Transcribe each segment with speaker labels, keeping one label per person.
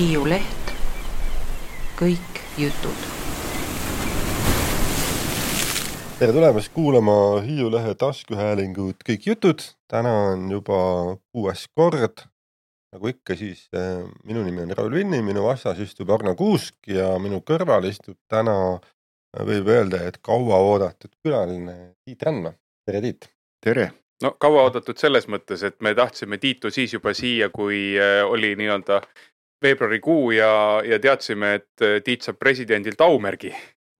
Speaker 1: Hiiu Leht, kõik jutud.
Speaker 2: Tere tulemast kuulama Hiiu Lehe taskuhäälingut Kõik jutud. Täna on juba 6. kord. Nagu ikka siis minu nimi on Raul Vinni, minu vastas istub Arno Kuusk ja minu kõrval istub täna, võib öelda, et kaua oodatud külaline Tiit Rändma. Tere, Tiit!
Speaker 3: Tere!
Speaker 4: No kaua oodatud selles mõttes, et me tahtsime Tiitu siis juba siia, kui oli nii-öelda veebruarikuu ja teadsime, et Tiit saab presidendilt aumärgi.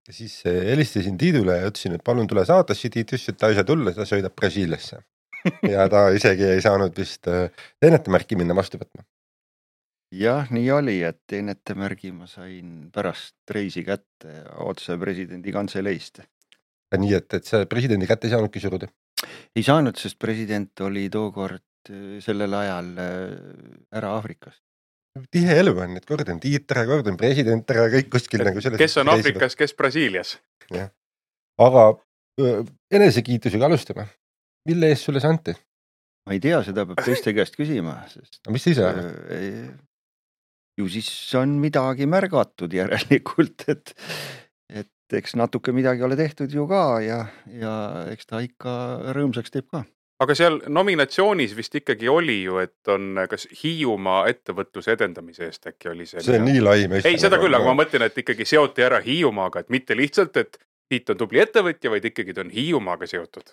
Speaker 2: Ja siis helistasin Tiidule ja ütlesin, et palun tule saatesse. Tiit ütles, et ta ei saa tulla, ta sõidab Brasiiliasse. Ja ta isegi ei saanud vist teenetemärki minna vastu võtma.
Speaker 3: Jah, nii oli, et teenetemärgi ma sain pärast reisi kätte otse presidendi kantseleist.
Speaker 2: Nii, et see presidendi kätte ei saanudki suruda?
Speaker 3: Ei saanud, sest president oli tookord sellel ajal ära Aafrikas.
Speaker 2: Tihe elu on, et kord on Tiit ära, kord on president ära, kõik kuskil nagu selles.
Speaker 4: Kes on Aafrikas, kes Brasiilias?
Speaker 2: Ja. Aga enesekiitusega alustame. Mille eest sulle see anti?
Speaker 3: Ma ei tea, seda peab teiste käest küsima. Sest,
Speaker 2: mis sa ise arvad?
Speaker 3: Ju siis on midagi märgatud järelikult, et eks natuke midagi ole tehtud ju ka ja eks ta ikka rõõmsaks teeb ka.
Speaker 4: Aga seal nominatsioonis vist ikkagi oli ju, et on kas Hiiumaa ettevõtluse edendamise eest äkki oli see.
Speaker 2: See on nii lai meist.
Speaker 4: Ei, seda küll, aga ma mõtlen, et ikkagi seoti ära Hiiumaaga, et mitte lihtsalt, et Tiit on tubli ettevõtja, vaid ikkagi ta on Hiiumaaga seotud.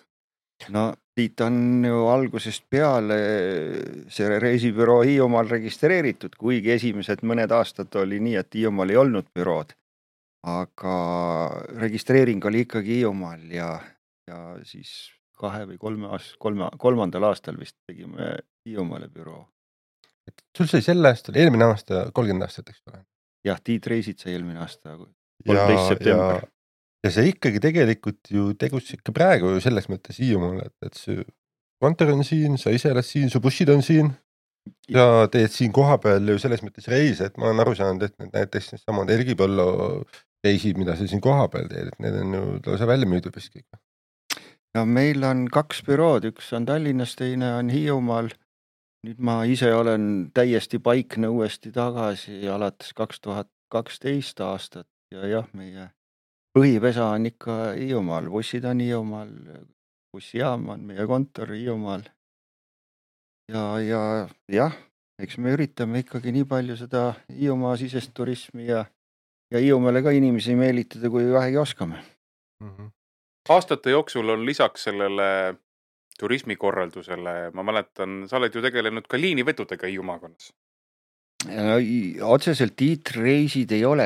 Speaker 3: No Tiit on ju algusest peale see reisibüroo Hiiumaal registreeritud, kuigi esimesed mõned aastad oli nii, et Hiiumaal ei olnud bürood. Aga registreering oli ikkagi Hiiumaal ja siis 2 või 3 aastal vist tegime Hiiumaale büroo.
Speaker 2: Sul sai sel aastal, eelmine aasta 30 aastat, eks ole?
Speaker 3: Jah, Tiit reisid sai eelmine aasta 13. september.
Speaker 2: Ja see ikkagi tegelikult ju tegus ikka praegu ju selles mõttes Hiiumaal, et see kontor on siin, sa ise oled siin, su bussid on siin ja teed siin koha peal ju selles mõttes reis, et ma olen aru saanud, et näiteks samad Ergipõllo reisid, mida sa siin koha peal teed, et need on ju lausa välja müüdud vist kõik.
Speaker 3: No meil on 2 bürood, üks on Tallinnas, teine on Hiiumaal. Nüüd ma ise olen täiesti paikne uuesti tagasi alates 2012 aastat ja jah, meie põhipesa on ikka Hiiumaal, bussid on Hiiumaal, bussijaam on meie kontor Hiiumaal. Ja eks me üritame ikkagi nii palju seda Hiiumaa sisest turismi ja Hiiumaale ka inimesi meelitada, kui vähegi oskame.
Speaker 4: Aastate jooksul on lisaks sellele turismikorraldusele, ma mäletan, sa oled ju tegelenud ka liinivedudega Hiiumaakonnas.
Speaker 3: No, otseselt Tiit reisid ei ole,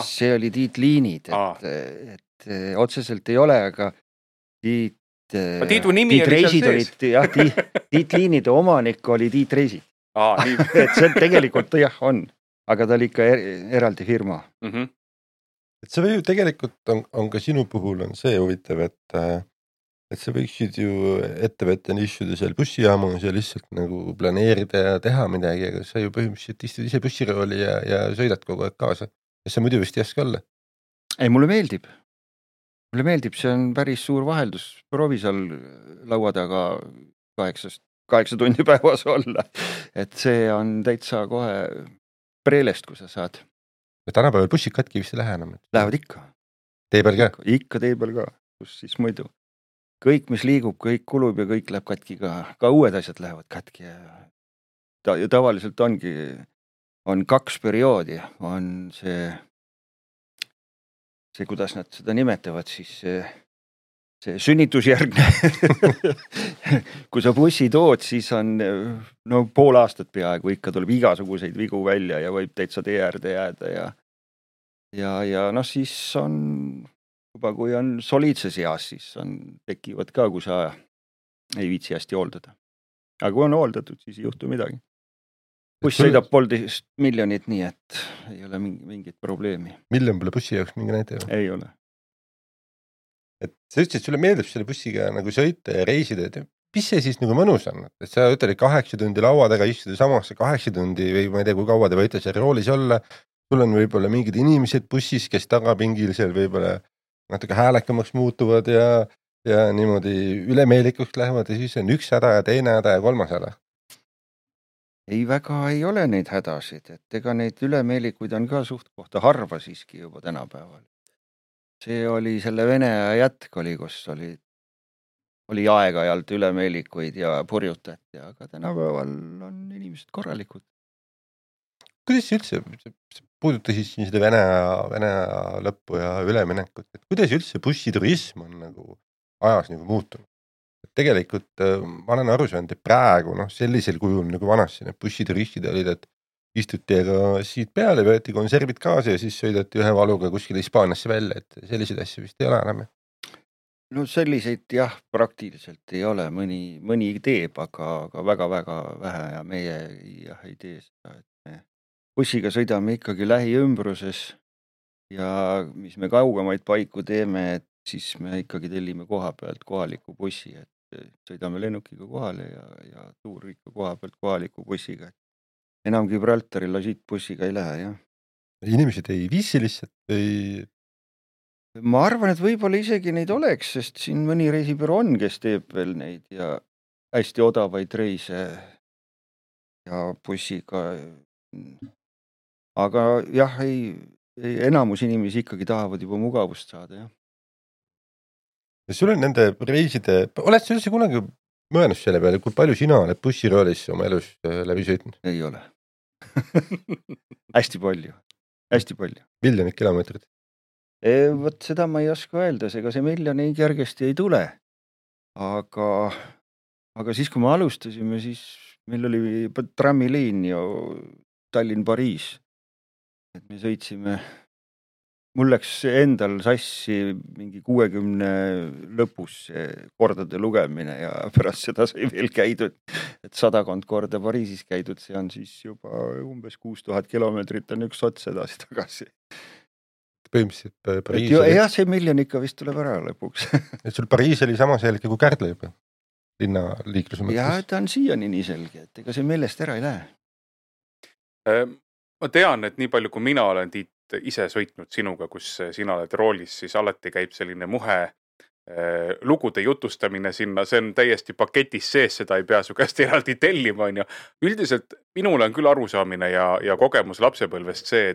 Speaker 3: see oli Tiit liinid, et otseselt ei ole, aga
Speaker 4: Tiitu nimi
Speaker 3: Tiit reisid olid, jah, Tiit liinide omanik oli Tiit reisid. Et see tegelikult jah on, aga ta oli ikka eraldi firma.
Speaker 2: Et see või ju tegelikult on ka sinu puhul on see huvitav, et sa võiksid ju ettevõtjana istuda seal bussijaamas ja lihtsalt nagu planeerida ja teha midagi, aga sa ju põhimõtteliselt istud ise bussirooli ja sõidad kogu aeg kaasa. Ja see muidu vist ei oska olla?
Speaker 3: Ei, mulle meeldib, see on päris suur vaheldus. Proovi seal laua taga 8 tundi päevas olla. Et see on täitsa kohe preelest, kui sa saad.
Speaker 2: Ja tänapäeval bussid katki vist ei lähe enam?
Speaker 3: Lähevad ikka.
Speaker 2: Tee peal ka?
Speaker 3: Ikka tee peal ka, kus siis muidu. Kõik, mis liigub, kõik kulub ja kõik läheb katki ka. Ka uued asjad lähevad katki. Ja tavaliselt on 2 perioodi. On see, kuidas nad seda nimetavad, siis see sünnitusjärgne. Kui sa bussi tood, siis on pool aastat peaaegu ikka tuleb igasuguseid vigu välja ja võib täitsa tee äärde jääda. Ja siis on juba kui on soliidses eas, siis tekivad ka, kui sa ei viitsi hästi hooldada. Aga kui on hooldatud, siis ei juhtu midagi. Buss sõidab 1,5 miljonit, nii et ei ole mingit probleemi.
Speaker 2: Miljon pole bussi jaoks mingi näite?
Speaker 3: Ei ole.
Speaker 2: Et sa ütlesid, et sulle meeldib selle bussiga nagu sõita ja reisida, et mis see siis nagu mõnus on? Et sa ütled 8 tundi laua taga istuda samasse 8 tundi või ma ei tea, kui kaua te võite seal roolis olla. Sul on võib-olla mingid inimesed bussis, kes tagapingil seal võib-olla natuke häälekamaks muutuvad ja niimoodi ülemeelikuks lähevad ja siis on 1 häda ja 2 häda ja 3 häda.
Speaker 3: ei väga ei ole neid hädasid, et ega neid ülemeelikuid on ka suht kohta harva siiski juba tänapäeval. See oli selle Vene aja jätk oli, kus oli aeg-ajalt ülemeelikuid ja purjutati, aga tänapäeval on inimesed korralikud.
Speaker 2: Kuidas üldse, puudutasid siin seda Vene aja lõppu ja üleminekut, et kuidas üldse bussiturism on nagu ajas nagu muutunud? Tegelikult ma olen aru saanud, et praegu sellisel kujul nagu vanasti need bussituristid olid, et istuti aga siit peale, võeti konservid kaasa ja siis sõidati ühe valuga kuskile Hispaaniasse välja, et selliseid asju vist ei ole enam.
Speaker 3: No selliseid jah, praktiliselt ei ole, mõni teeb, aga väga-väga vähe ja meie jah ei tee seda, et me bussiga sõidame ikkagi lähiümbruses ja mis me kaugemaid paiku teeme, et siis me ikkagi tellime koha pealt kohaliku bussi, et sõidame lennukiga kohale ja tuur ikka koha pealt kohaliku bussiga. Enam Gibraltaril siit bussiga ei lähe, jah.
Speaker 2: Inimesed ei viisi lihtsalt või?
Speaker 3: Ma arvan, et võib-olla isegi neid oleks, sest siin mõni reisibüroo on, kes teeb veel neid ja hästi odavaid reise ja bussiga. Aga jah, enamus inimesi ikkagi tahavad juba mugavust saada, jah.
Speaker 2: Ja sul on nende reiside, oled sa üldse kunagi mõelnud selle peale, kui palju sina oled bussiroolis oma elus läbi sõitnud?
Speaker 3: Ei ole. Hästi palju.
Speaker 2: Miljonid kilomeetrid?
Speaker 3: Võt seda ma ei oska öelda, ega see miljon ei kergesti ei tule. Aga siis, kui me alustasime, siis meil oli trammiliin ja Tallinn-Pariis. Et me sõitsime, mul läks endal sassi mingi 60 lõpus kordade lugemine ja pärast seda sai veel käidud, et 100 korda Pariisis käidud, see on siis juba umbes 6000 kilomeetrit on üks ots edasi tagasi.
Speaker 2: Põhimõtteliselt Pariis
Speaker 3: oli... Jah, see miljon ikka vist tuleb ära lõpuks.
Speaker 2: Et sul Pariis oli sama selge kui Kärdla juba, linna liikluse mõttes?
Speaker 3: Jah, ta on siiani nii selge, et ega see meelest ära ei lähe.
Speaker 4: Ma tean, et nii palju kui mina olen Tiit ise sõitnud sinuga, kus sina oled roolis, siis alati käib selline muhe lugude jutustamine sinna, see on täiesti paketis sees, seda ei pea su käest eraldi tellima, on ju. Üldiselt minul on küll arusaamine ja kogemus lapsepõlvest see,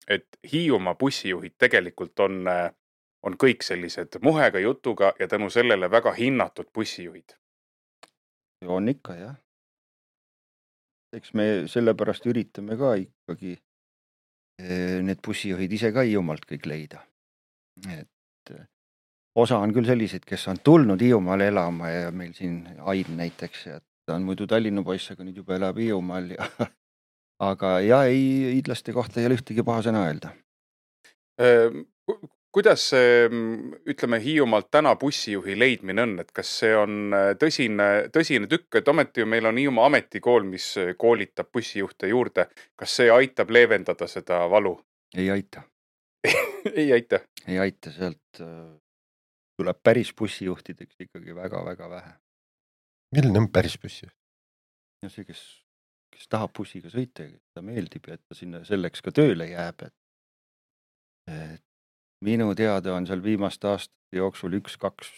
Speaker 4: et Hiiumaa bussijuhid tegelikult on kõik sellised muhega jutuga ja tänu sellele väga hinnatud bussijuhid.
Speaker 3: On ikka, jah. Eks me sellepärast üritame ka ikkagi need bussijuhid ise ka Hiiumaalt kõik leida. Et osa on küll sellised, kes on tulnud Hiiumaale elama ja meil siin Ain näiteks, et ta on muidu Tallinna poiss, aga nüüd juba elab Hiiumaal. Aga hiidlaste kohta ei ole ühtegi paha sõna öelda.
Speaker 4: Kuidas ütleme Hiiumaalt täna bussijuhi leidmine on, et kas see on tõsine tükk, et ometi ju meil on Hiiumaa ametikool, mis koolitab bussijuhte juurde. Kas see aitab leevendada seda valu?
Speaker 3: Ei aita.
Speaker 4: Ei aita?
Speaker 3: Ei aita, sealt tuleb päris bussijuhtideks ikkagi väga-väga vähe.
Speaker 2: Milline on päris bussijuht?
Speaker 3: Ja see, kes tahab bussiga sõita ja ta meeldib ja et ta sinna selleks ka tööle jääb, et minu teada on seal viimaste aastate jooksul 1-2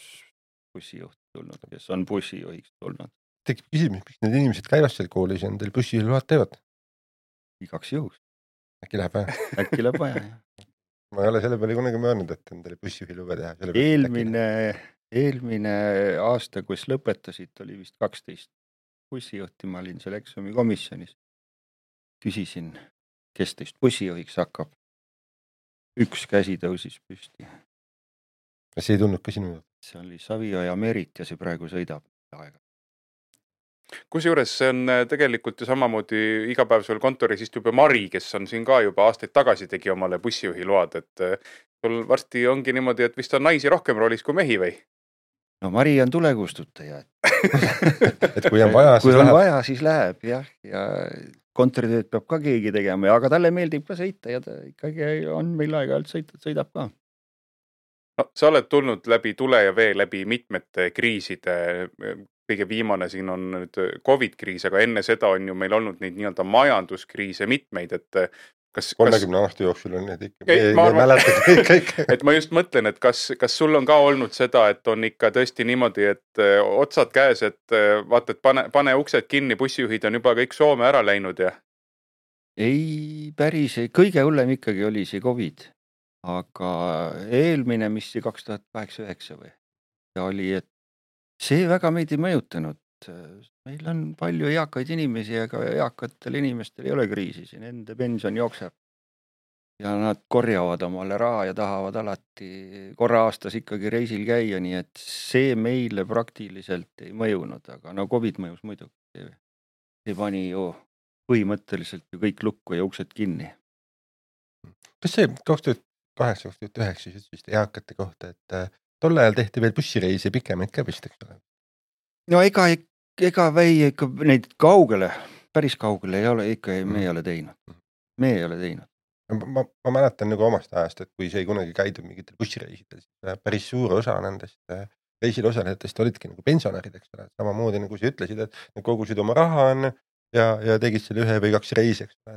Speaker 3: bussijuhti tulnud, kes on bussijuhiks tulnud.
Speaker 2: Tekib küsimus, miks need inimesed käivad seal koolis ja nendel bussijuhiluvad teevad?
Speaker 3: Igaks juhuks.
Speaker 2: Äkki läheb vaja?
Speaker 3: Äkki läheb vaja, jah.
Speaker 2: Ma ei ole selle peale kunagi mõelnud, et endale bussijuhiluba teha.
Speaker 3: Eelmine aasta, kus lõpetasid, oli vist 12 bussijuhti, ma olin seal eksami komisjonis. Küsisin, kes teist bussijuhiks hakkab. Üks käsi tõusis püsti.
Speaker 2: See ei tulnud ka sinu juurde?
Speaker 3: See oli Savio ja Merit ja see praegu sõidab aega.
Speaker 4: Kusjuures see on tegelikult ju samamoodi igapäevasel kontoris istub Mari, kes on siin ka juba aastaid tagasi tegi omale bussijuhi load, et sul varsti ongi niimoodi, et vist on naisi rohkem roolis kui mehi või?
Speaker 3: No Mari on tulekustutaja.
Speaker 2: Et kui on vaja,
Speaker 3: siis läheb, jah. Ja kontoritööd peab ka keegi tegema, aga talle meeldib ka sõita ja ta ikkagi on meil aeg-ajalt sõidab ka.
Speaker 4: No, sa oled tulnud läbi tule ja vee läbi mitmete kriiside. Kõige viimane siin on nüüd COVID-kriis, aga enne seda on ju meil olnud neid nii-öelda majanduskriise mitmeid, et kas
Speaker 2: 30 aasta jooksul on need ikka.
Speaker 4: Ma arvan, et ma just mõtlen, et kas sul on ka olnud seda, et on ikka tõesti niimoodi, et otsad käes, et vaata, et pane uksed kinni, bussijuhid on juba kõik Soome ära läinud ja?
Speaker 3: Ei, päris ei. Kõige hullem ikkagi oli see COVID. Aga eelmine, mis see 2008-2009 või? Ja oli, et see väga meid ei mõjutanud. Meil on palju eakaid inimesi, aga eakatel inimestel ei ole kriisi. Siin enda pension jookseb. Ja nad korjavad omale raha ja tahavad alati korra aastas ikkagi reisil käia, nii et see meile praktiliselt ei mõjunud, aga no COVID mõjus muidugi. See pani ju põhimõtteliselt ju kõik lukku ja uksed kinni.
Speaker 2: Kas see 2008-2009 siis ütlesid eakate kohta, et tol ajal tehti veel bussireisi pikemaid ka vist, eks ole?
Speaker 3: No ega ikka neid kaugele, päris kaugele ei ole, ikka me ei ole teinud. Me ei ole teinud.
Speaker 2: Ma mäletan nagu omast ajast, et kui see kunagi käidud mingitel bussireisidel, siis päris suur osa nendest reisil osalejatest olidki nagu pensionärid, eks ole. Samamoodi nagu sa ütlesid, et nad kogusid oma raha ja tegid selle 1 või 2 reisi, eks ole.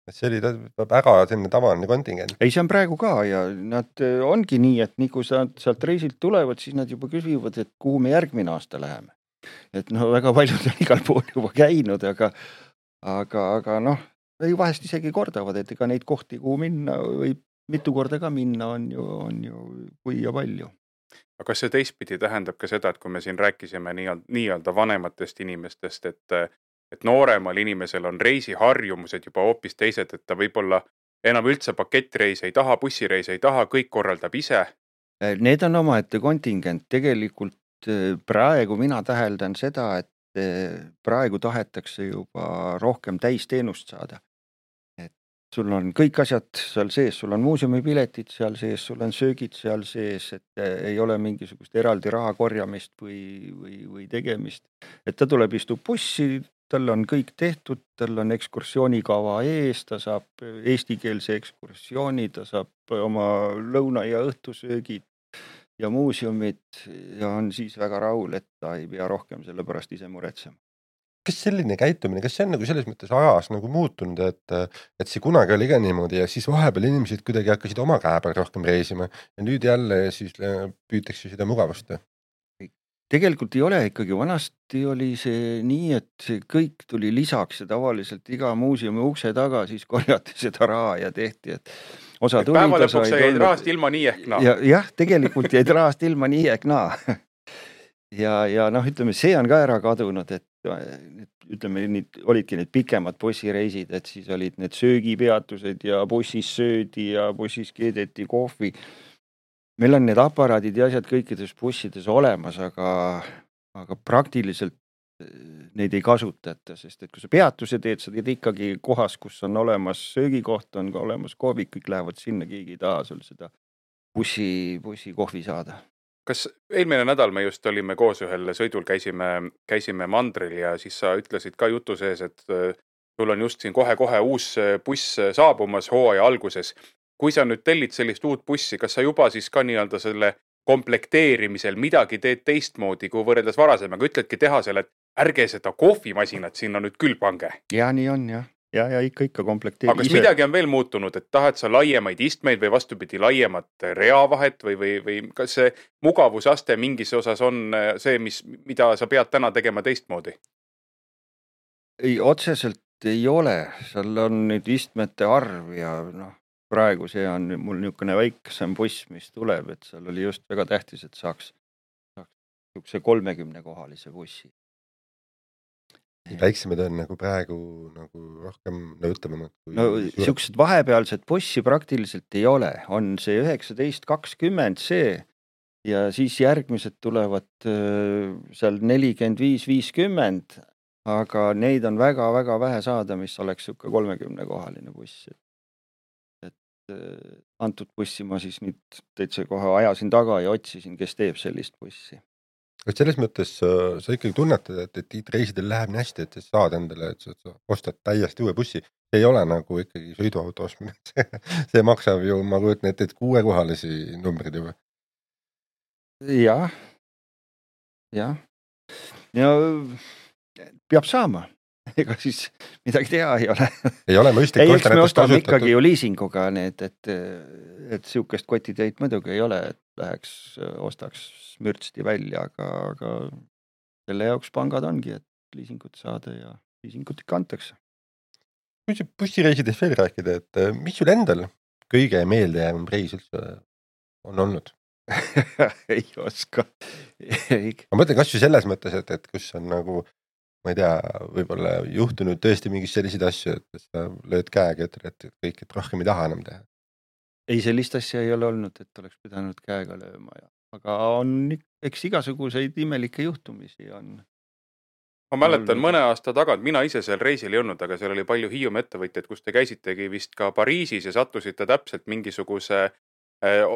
Speaker 2: Et see oli väga selline tavaline kontingent.
Speaker 3: Ei, see on praegu ka ja nad ongi nii, et nii kui sealt reisilt tulevad, siis nad juba küsivad, et kuhu me järgmine aasta läheme. Et no väga paljud on igal pool juba käinud, aga noh, vahest isegi kordavad, et ega neid kohti, kuhu minna või mitu korda ka minna on ju kui ja palju.
Speaker 4: Aga kas see teistpidi tähendab ka seda, et kui me siin rääkisime nii-öelda vanematest inimestest, et nooremal inimesel on reisiharjumused juba hoopis teised, et ta võib-olla enam üldse pakettreise ei taha, bussireise ei taha, kõik korraldab ise?
Speaker 3: Need on omaette kontingent. Tegelikult praegu mina täheldan seda, et praegu tahetakse juba rohkem täisteenust saada. Et sul on kõik asjad seal sees, sul on muuseumipiletid seal sees, sul on söögid seal sees, et ei ole mingisugust eraldi raha korjamist või tegemist. Et ta tuleb, istub bussi, tal on kõik tehtud, tal on ekskursioonikava ees, ta saab eestikeelse ekskursiooni, ta saab oma lõuna- ja õhtusöögid ja muuseumid ja on siis väga rahul, et ta ei pea rohkem selle pärast ise muretsema.
Speaker 2: Kas selline käitumine, kas see on nagu selles mõttes ajas nagu muutunud, et see kunagi oli ka niimoodi ja siis vahepeal inimesed kuidagi hakkasid oma käe peal rohkem reisima ja nüüd jälle siis püütakse seda mugavust?
Speaker 3: Tegelikult ei ole ikkagi, vanasti oli see nii, et see kõik tuli lisaks ja tavaliselt iga muuseumi ukse taga siis korjati seda raha ja tehti, et osa tuli.
Speaker 4: Päeva lõpuks jäid rahast ilma nii ehk naa.
Speaker 3: Jah, tegelikult jäid rahast ilma nii ehk naa. Ja noh, ütleme, see on ka ära kadunud, et ütleme, olidki need pikemad bussireisid, et siis olid need söögipeatused ja bussis söödi ja bussis keedeti kohvi. Meil on need aparaadid ja asjad kõikides bussides olemas, aga praktiliselt neid ei kasutata, sest et kui sa peatuse teed, sa teed ikkagi kohas, kus on olemas söögikoht, on ka olemas kohvik, kõik lähevad sinna, keegi ei taha sul seda bussi kohvi saada.
Speaker 4: Kas eelmine nädal me just olime koos ühel sõidul, käisime mandril ja siis sa ütlesid ka jutu sees, et sul on just siin kohe uus buss saabumas hooaja alguses. Kui sa nüüd tellid sellist uut bussi, kas sa juba siis ka nii-öelda selle komplekteerimisel midagi teed teistmoodi, kui võrreldes varasemaga, ütledki tehasele, et ärge seda kohvimasinat sinna nüüd küll pange?
Speaker 3: Ja nii on, jah. Ja ikka komplekteeri.
Speaker 4: Aga kas midagi on veel muutunud, et tahad sa laiemaid istmeid või vastupidi laiemat reavahet või kas see mugavusaste mingis osas on see, mida sa pead täna tegema teistmoodi?
Speaker 3: Ei, otseselt ei ole. Seal on nüüd istmete arv ja praegu see on mul niisugune väiksem buss, mis tuleb, et seal oli just väga tähtis, et saaks 30-kohalise bussi.
Speaker 2: Väiksemad on nagu praegu nagu rohkem nõutavamad.
Speaker 3: Siuksed vahepealsed bussi praktiliselt ei ole. On see 19-20 see ja siis järgmised tulevad seal 45-50, aga neid on väga-väga vähe saada, mis oleks 30-kohaline buss. Antud bussi ma siis nüüd täitsa kohe ajasin taga ja otsisin, kes teeb sellist bussi.
Speaker 2: Et selles mõttes sa ikkagi tunnetad, et reisidel läheb nii hästi, et sa saad endale, et sa ostad täiesti uue bussi. See ei ole nagu ikkagi sõiduauto ostmine. See maksab ju, ma kujutan, et 6-kohalisi numbrid juba.
Speaker 3: Jah. Ja peab saama. ega siis midagi teha ei ole.
Speaker 2: ei ole mõistlik
Speaker 3: Ei, eks
Speaker 2: osta
Speaker 3: me
Speaker 2: näiteks
Speaker 3: ostame
Speaker 2: kasutatud.
Speaker 3: ikkagi ju liisinguga need, et siukest kotitöid muidugi ei ole, et läheks, ostaks mürtsti välja, aga selle jaoks pangad ongi, et liisingut saada ja liisingut ikka antakse.
Speaker 2: Kui see bussireisidest veel rääkida, et mis sul endal kõige meeldejäävam reis üldse on olnud?
Speaker 3: ei oska.
Speaker 2: Ma mõtlen kas ju selles mõttes, et kus on nagu, ma ei tea, võib-olla juhtunud tõesti mingis selliseid asju, et sa lööd käega, et kõik, et rohkem ei taha enam teha.
Speaker 3: Ei, sellist asja ei ole olnud, et oleks pidanud käega lööma. Aga on, eks igasuguseid imelikke juhtumisi on.
Speaker 4: Ma mäletan mõne aasta tagant, mina ise seal reisil ei olnud, aga seal oli palju Hiiumaa ettevõtjaid, kus te käisitegi vist ka Pariisis ja sattusite täpselt mingisuguse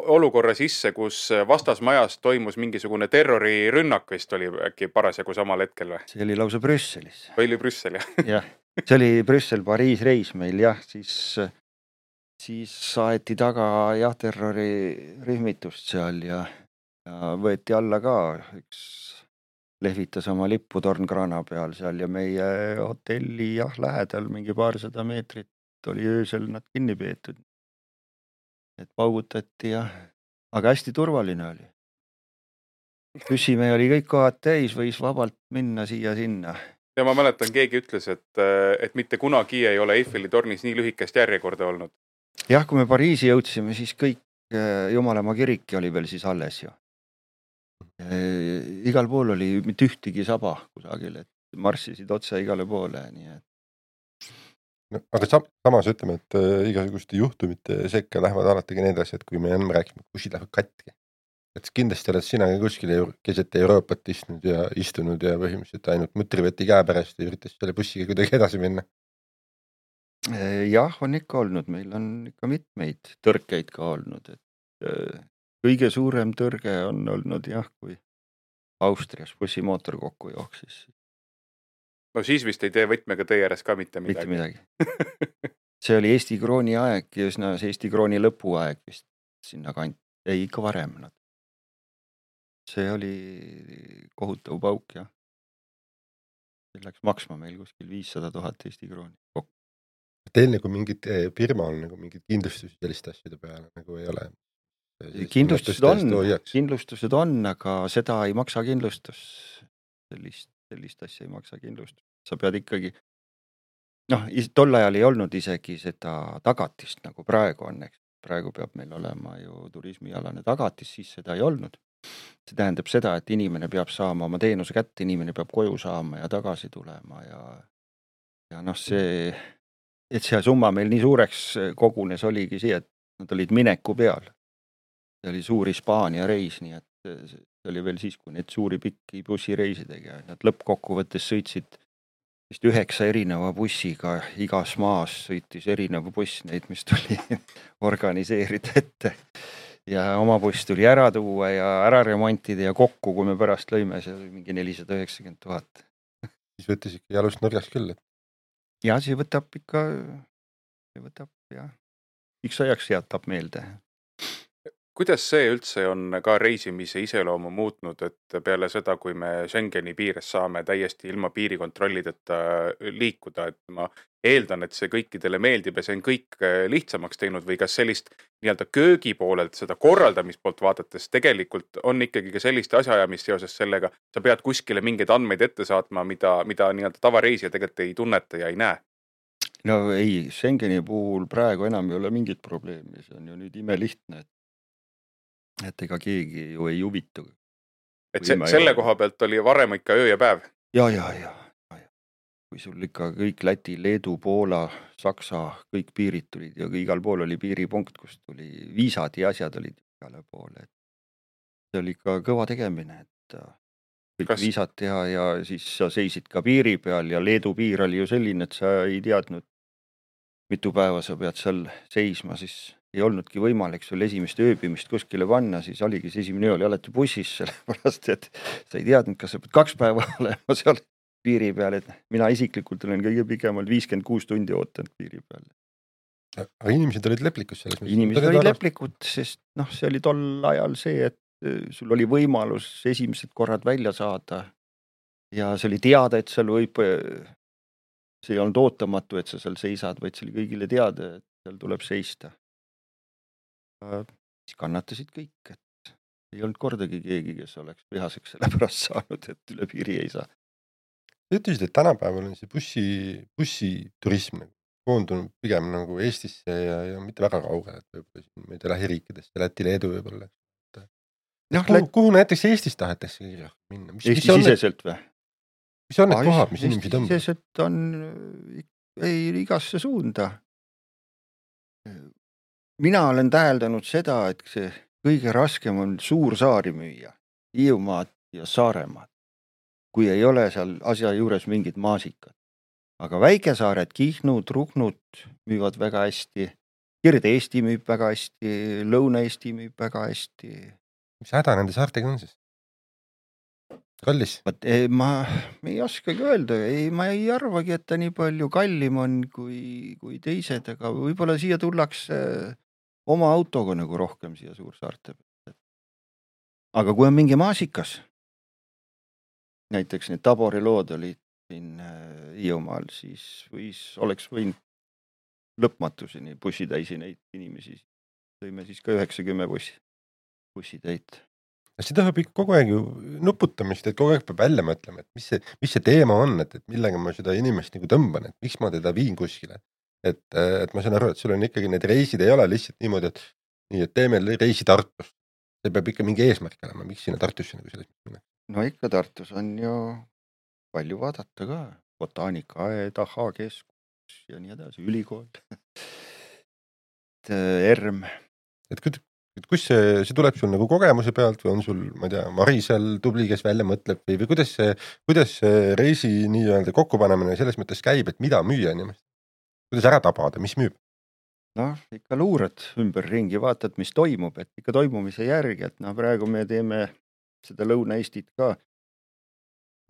Speaker 4: olukorra sisse, kus vastasmajas toimus mingisugune terrorirünnak vist oli äkki parasjagu samal hetkel või?
Speaker 3: See oli lausa Brüsselis.
Speaker 4: Või oli Brüssel, jah?
Speaker 3: Jah, see oli Brüssel-Pariis reis meil, jah, siis saeti taga jah, terrorirühmitust seal ja võeti alla ka, üks lehvitas oma lippu Tornkrana peal seal ja meie hotelli jah, lähedal mingi paarsada meetrit oli öösel nad kinni peetud. Et paugutati ja, aga hästi turvaline oli. Püssimehe oli kõik kohad täis, võis vabalt minna siia-sinna.
Speaker 4: Ja ma mäletan, keegi ütles, et mitte kunagi ei ole Eiffeli tornis nii lühikest järjekorda olnud.
Speaker 3: Jah, kui me Pariisi jõudsime, siis kõik Jumalamaa kiriki oli veel siis alles ju. Igal pool oli mitte ühtegi saba kusagil, et marssisid otse igale poole, nii et
Speaker 2: No, aga samas ütleme, et igasuguste juhtumite sekka lähevad alati ka need asjad, kui me enne rääkisime, et bussid lähevad katki. Et kindlasti oled sina kuskil keset Euroopat istunud ja põhimõtteliselt ainult mutriveti käe pärast ja üritas selle bussiga kuidagi edasi minna.
Speaker 3: Jah, on ikka olnud, meil on ikka mitmeid tõrkeid ka olnud, et kõige suurem tõrge on olnud jah, kui Austrias bussimootor kokku jooksis.
Speaker 4: No siis vist ei tee võtmega teie ääres ka mitte midagi.
Speaker 3: Mitte midagi. See oli Eesti krooni aeg ja üsna see Eesti krooni lõpuaeg vist sinna ei ikka varem. See oli kohutav pauk, jah. See läks maksma meil kuskil 500 000 Eesti krooni kokku.
Speaker 2: Teil nagu mingid firma on nagu mingid kindlustusi selliste asjade peale nagu ei ole?
Speaker 3: Kindlustused on, aga seda ei maksa kindlustus. Sellist asja ei maksa kindlustus. Sa pead ikkagi, tol ajal ei olnud isegi seda tagatist, nagu praegu on, eks. Praegu peab meil olema ju turismialane tagatis, siis seda ei olnud. See tähendab seda, et inimene peab saama oma teenuse kätte, inimene peab koju saama ja tagasi tulema ja see, et see summa meil nii suureks kogunes oligi see, et nad olid mineku peal. See oli suur Hispaania reis, nii et see oli veel siis, kui neid suuri pikki bussireisidega. Nad lõppkokkuvõttes sõitsid 9 erineva bussiga, igas maas sõitis erinev buss neid, mis tuli organiseerida ette. Ja oma buss tuli ära tuua ja ära remontida ja kokku, kui me pärast lõime, see oli mingi 490 000.
Speaker 2: Siis võttis ikka jalust nurgas küll.
Speaker 3: Ja see võtab jah, üks ajaks jätab meelde.
Speaker 4: Kuidas see üldse on ka reisimise iseloomu muutnud, et peale seda, kui me Schengeni piires saame täiesti ilma piirikontrollideta liikuda, et ma eeldan, et see kõikidele meeldib ja see on kõik lihtsamaks teinud või kas sellist nii-öelda köögi poolelt, seda korraldamispoolt vaadates tegelikult on ikkagi ka sellist asjaajamist seoses sellega, sa pead kuskile mingeid andmeid ette saatma, mida nii-öelda tavareisija tegelikult ei tunneta ja ei näe?
Speaker 3: No ei, Schengeni puhul praegu enam ei ole mingit probleemi, see on ju nüüd imelihtne, et ega keegi ju ei huvitu.
Speaker 4: Et selle koha pealt oli varem ikka öö ja päev?
Speaker 3: Ja. Kui sul ikka kõik Läti, Leedu, Poola, Saksa, kõik piirid tulid ja igal pool oli piiripunkt, kus tuli viisad ja asjad olid igale poole. See oli ikka kõva tegemine, et kõik viisad teha ja siis sa seisid ka piiri peal ja Leedu piir oli ju selline, et sa ei teadnud, mitu päeva sa pead seal seisma, siis ei olnudki võimalik sul esimest ööbimist kuskile panna, siis oligi see esimene öö oli alati bussis, sellepärast, et sa ei teadnud, kas sa pead 2 päeva olema seal piiri peal, et mina isiklikult olen kõige pikemalt 56 tundi ootanud piiri peal.
Speaker 2: Aga inimesed olid leplikud selles?
Speaker 3: Inimesed olid leplikud, sest see oli tol ajal see, et sul oli võimalus esimesed korrad välja saada ja see oli teada, et seal võib see ei olnud ootamatu, et sa seal seisad, vaid see oli kõigile teada, et seal tuleb seista. Siis kannatasid kõik, et ei olnud kordagi keegi, kes oleks vihaseks selle pärast saanud, et üle piiri ei saa.
Speaker 2: Sa ütlesid, et tänapäeval on see bussiturism koondunud pigem nagu Eestisse ja mitte väga kaugele, et võib-olla siin meid lähiriikidest ja Läti, Leedu võib-olla. Kuhu näiteks Eestis tahetakse minna?
Speaker 3: Eesti-siseselt või?
Speaker 2: Mis on need kohad, mis inimesi tõmbavad?
Speaker 3: Eesti-siseselt on igasse suunda. Mina olen täheldanud seda, et see kõige raskem on suursaari müüa, Hiiumaad ja Saaremaad, kui ei ole seal asja juures mingid maasikad. Aga väikesaared, Kihnud, Ruhnud müüvad väga hästi, Kirde-Eesti müüb väga hästi, Lõuna-Eesti müüb väga hästi.
Speaker 2: Mis häda nende saartega on siis? Kallis?
Speaker 3: Ma ei oskagi öelda, ma ei arvagi, et ta nii palju kallim on kui teised, aga võib-olla siia tullakse oma autoga nagu rohkem siia Suursaarte. Aga kui on mingi maasikas, näiteks need Tabori lood olid siin Hiiumaal, siis oleks võinud lõpmatuseni bussitäisi neid inimesi. Tõime siis ka 90 bussitäit.
Speaker 2: See tahab ikka kogu aeg ju nuputamist, et kogu aeg peab välja mõtlema, et mis see teema on, et millega ma seda inimest nagu tõmban, et miks ma teda viin kuskile. Et ma saan aru, et sul on ikkagi need reisid ei ole lihtsalt niimoodi, et teeme reisi Tartust. See peab ikka mingi eesmärk olema, miks sinna Tartusse nagu selles minna.
Speaker 3: No ikka Tartus on ju palju vaadata ka. Botaanikaaed, keskus ja nii edasi, ülikool. ERM.
Speaker 2: Et kus see tuleb sul nagu kogemuse pealt või on sul, ma ei tea, Marisel tubli, kes välja mõtleb või kuidas see reisi nii-öelda kokkupanemine selles mõttes käib, et mida müüa inimest? Kuidas ära tabada, mis müüb?
Speaker 3: Ikka luurad ümber ringi, vaatad, mis toimub, et ikka toimumise järgi, et praegu me teeme seda Lõuna-Eestit ka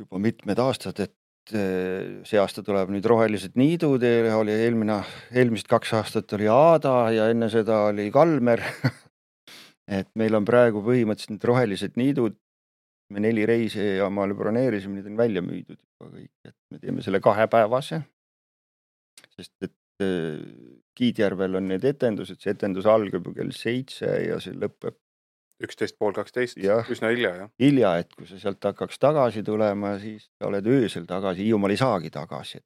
Speaker 3: juba mitmed aastad, et see aasta tuleb nüüd Rohelised niidud, oli eelmised 2 aastat oli Aada ja enne seda oli Kalmer. Et meil on praegu põhimõtteliselt need Rohelised niidud, me 4 reisi ja maale broneerisime, need on välja müüdud juba kõik, et me teeme selle 2-päevase, sest et Kiidjärvel on need etendused, see etendus algab kell 7 ja see lõpeb
Speaker 4: 11:30, üsna hilja, jah.
Speaker 3: Hilja, et kui sa sealt hakkaks tagasi tulema, siis sa oled öösel tagasi, Hiiumaal ei saagi tagasi.